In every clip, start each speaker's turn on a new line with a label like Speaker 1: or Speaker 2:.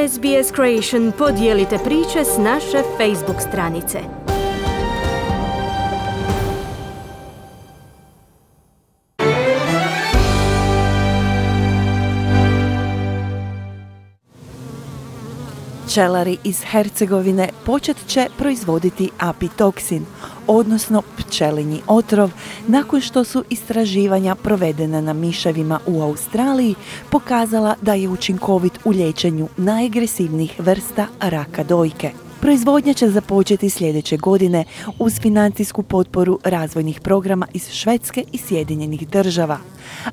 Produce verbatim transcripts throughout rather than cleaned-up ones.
Speaker 1: S B S Creation podijelite priče s naše Facebook stranice.
Speaker 2: Pčelari iz Hercegovine počet će proizvoditi apitoksin, odnosno pčelinji otrov, nakon što su istraživanja provedena na miševima u Australiji pokazala da je učinkovit u liječenju najagresivnijih vrsta raka dojke. Proizvodnja će započeti sljedeće godine uz financijsku potporu razvojnih programa iz Švedske i Sjedinjenih država.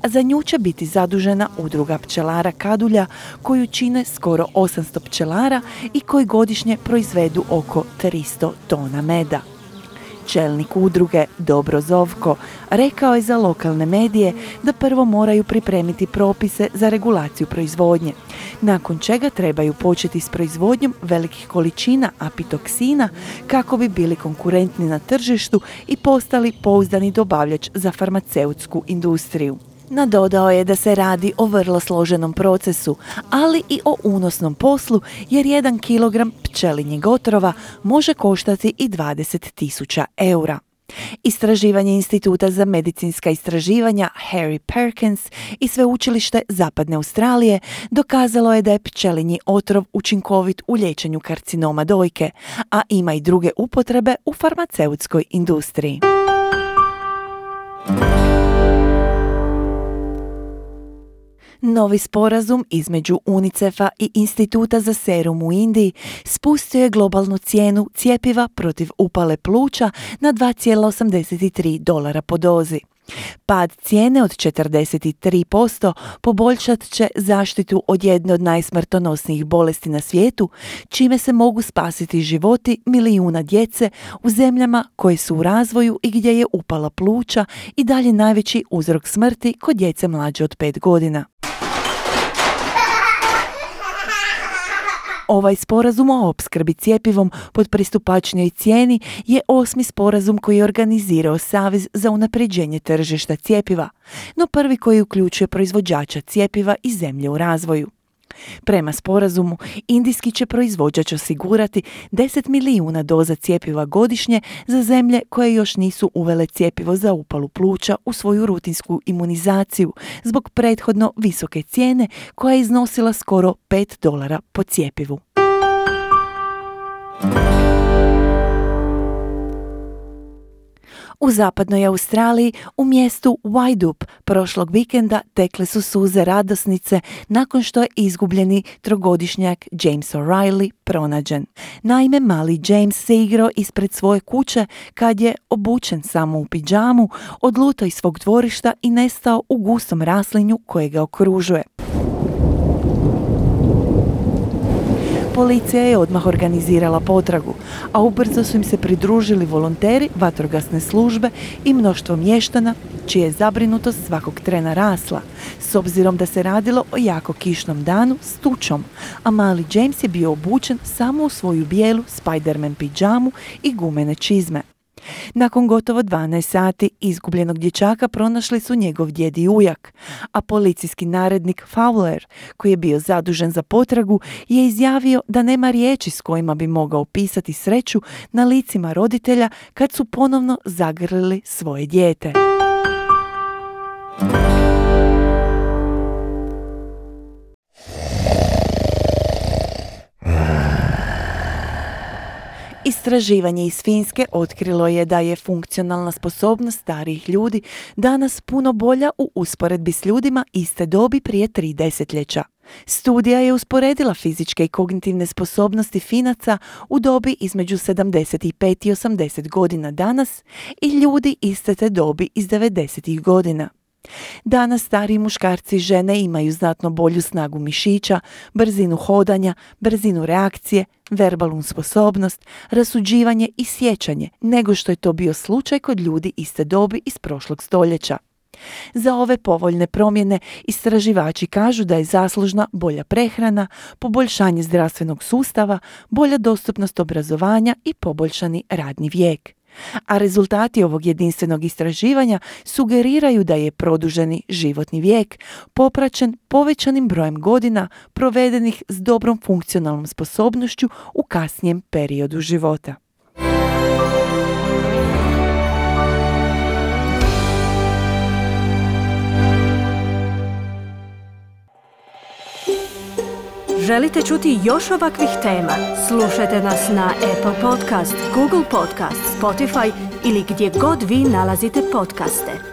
Speaker 2: A za nju će biti zadužena udruga pčelara Kadulja, koju čine skoro osamsto pčelara i koji godišnje proizvedu oko tristo tona meda. Čelnik udruge Dobro Zovko rekao je za lokalne medije da prvo moraju pripremiti propise za regulaciju proizvodnje, nakon čega trebaju početi s proizvodnjom velikih količina apitoksina kako bi bili konkurentni na tržištu i postali pouzdani dobavljač za farmaceutsku industriju. Nadodao je da se radi o vrlo složenom procesu, ali i o unosnom poslu, jer jedan kilogram pčelinjeg otrova može koštati i dvadeset tisuća eura. Istraživanje Instituta za medicinska istraživanja Harry Perkins i Sveučilište Zapadne Australije dokazalo je da je pčelinji otrov učinkovit u liječenju karcinoma dojke, a ima i druge upotrebe u farmaceutskoj industriji. Novi sporazum između UNICEF-a i Instituta za serum u Indiji spustio je globalnu cijenu cjepiva protiv upale pluća na dva zarez osamdeset tri dolara po dozi. Pad cijene od četrdeset tri posto poboljšat će zaštitu od jedne od najsmrtonosnijih bolesti na svijetu, čime se mogu spasiti životi milijuna djece u zemljama koje su u razvoju i gdje je upala pluća i dalje najveći uzrok smrti kod djece mlađe od pet godina. Ovaj sporazum o opskrbi cjepivom pod pristupačnijoj cijeni je osmi sporazum koji je organizirao Savez za unapređenje tržišta cjepiva, no prvi koji uključuje proizvođača cjepiva i zemlje u razvoju. Prema sporazumu, indijski će proizvođač osigurati deset milijuna doza cjepiva godišnje za zemlje koje još nisu uvele cjepivo za upalu pluća u svoju rutinsku imunizaciju zbog prethodno visoke cijene koja je iznosila skoro pet dolara po cjepivu. U zapadnoj Australiji, u mjestu Waidup, prošlog vikenda tekle su suze radosnice nakon što je izgubljeni trogodišnjak James O'Reilly pronađen. Naime, mali James se igrao ispred svoje kuće kad je, obučen samo u pidžamu, odlutao iz svog dvorišta i nestao u gustom raslinju koje ga okružuje. Policija je odmah organizirala potragu, a ubrzo su im se pridružili volonteri vatrogasne službe i mnoštvo mještana, čija je zabrinutost svakog trena rasla, s obzirom da se radilo o jako kišnom danu s tučom, a mali James je bio obučen samo u svoju bijelu Spider-Man pidžamu i gumene čizme. Nakon gotovo dvanaest sati izgubljenog dječaka pronašli su njegov djed i ujak, a policijski narednik Fowler, koji je bio zadužen za potragu, je izjavio da nema riječi s kojima bi mogao opisati sreću na licima roditelja kad su ponovno zagrlili svoje dijete. Istraživanje iz Finske otkrilo je da je funkcionalna sposobnost starijih ljudi danas puno bolja u usporedbi s ljudima iste dobi prije tri desetljeća. Studija je usporedila fizičke i kognitivne sposobnosti Finaca u dobi između sedamdeset pet i osamdeset godina danas i ljudi iste te dobi iz devedesetih godina. Danas stariji muškarci i žene imaju znatno bolju snagu mišića, brzinu hodanja, brzinu reakcije, verbalnu sposobnost, rasuđivanje i sjećanje nego što je to bio slučaj kod ljudi iste dobi iz prošlog stoljeća. Za ove povoljne promjene istraživači kažu da je zaslužna bolja prehrana, poboljšanje zdravstvenog sustava, bolja dostupnost obrazovanja i poboljšani radni vijek. A rezultati ovog jedinstvenog istraživanja sugeriraju da je produženi životni vijek popraćen povećanim brojem godina provedenih s dobrom funkcionalnom sposobnošću u kasnijem periodu života.
Speaker 1: Želite čuti još ovakvih tema? Slušajte nas na Apple Podcast, Google Podcast, Spotify ili gdje god vi nalazite podcaste.